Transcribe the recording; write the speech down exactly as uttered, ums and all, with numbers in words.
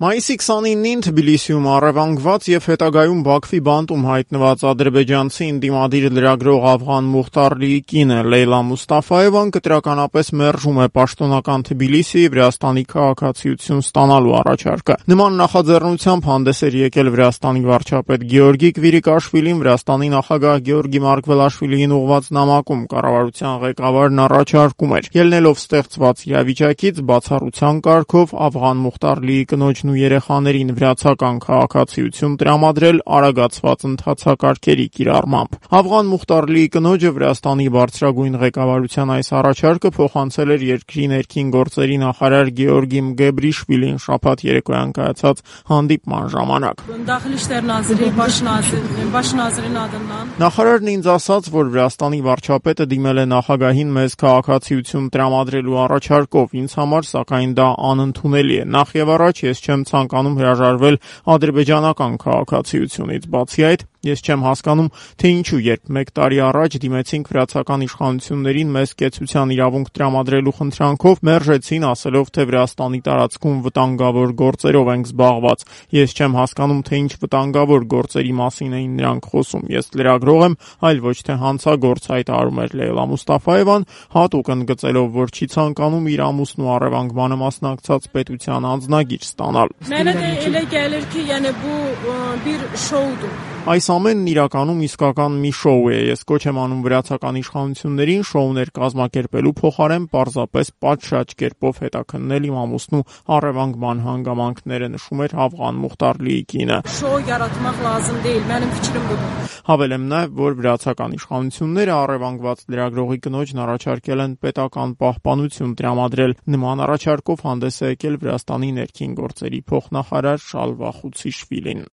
Մայիսի քսանինին Թբիլիսիում առևանգված եւ հետագայում Բաքվի բանտում հայտնված ադրբեջանցի ընդդիմադիր լրագրող Ավղան Մուխտարլիի կինը Լեյլա Մուստաֆաևան կտրականապես մերժում է պաշտոնական Թբիլիսիի Վրաստանի քաղաքացիություն ստանալու առաջարկը։ Նման նախաձեռնությամբ հանդես էր եկել Վրաստանի վարչապետ Գեորգի Կվիրիկաշվիլին Վրաստանի նախագահ Գեորգի Մարկվելաշվիլիին ուղղված նամակում կառավարության ղեկավարն առաջարկում էր ելնելով ստեղծված իրավիճակից բացառության կարգով Ավղան Մուխտարլիի կնոջ ու երեխաներին վրացական քաղաքացիություն տրամադրել արագացված ընթացակարգերի կիրառմամբ։ Ավղան Մուխտարլիի կնոջը Վրաստանի բարձրագույն ղեկավարության այս առաջարկը փոխանցել էր երկրի ներքին գործերի նախարար Գեորգի Մգեբրիշվիլին շաբաթ երեկոյան կայացած հանդիպման ժամանակ։ Նախարարն ինձ ասաց, որ Վրաստանի վարչապետը դիմել է նախագահին մեզ քաղաքացիություն տրամադրելու առաջարկով, ինձ համար սակայն դա անընդունելի է։ Նախ եւ առաջ ես չեմ ցանկանում հրաժարվել ադրբեջանական քաղաքացիությունից, բացի այդ ես չեմ հասկանում, թե ինչու երբ մեկ տարի առաջ դիմեցինք վրացական իշխանություններին մեզ կեցության իրավունք տրամադրելու խնդրանքով, մերժեցին ասելով, թե Վրաստանի տարածքում վտանգավոր գործերով ենք զբաղված։ Ես չեմ հասկանում, թե ինչ վտանգավոր գործերի մասին էին նրանք խոսում։ Ես լրագրող եմ, այլ ոչ թե հանցագործ, հայտարարում էր Լեյլա Մուստաֆաևան, հատուկ ընդգծելով, որ չի ցանկանում իր ամուսնու առևանգմանը մասնակցած պետության անձնագիր ստանալ։ Այս ամենն իրականում իսկական մի շոու է։ Ես կոչ եմ անում վրացական իշխանություններին շոուներ կազմակերպելու փոխարեն պարզապես պատշաճ կերպով հետաքննել իմ ամուսնու առևանգման հանգամանքները, նշում էր Ավղան Մուխտարլիի կինը։ Հավելեմ նաև, որ վրացական իշխանությունները առևանգված լրագրողի կնոջն առաջարկել են պետական պահպանություն տրամադրել։ Նման առաջարկով հանդես է եկել Վրաստանի ներքին գործերի փոխնախարար Շալվա Խուցիշվիլին։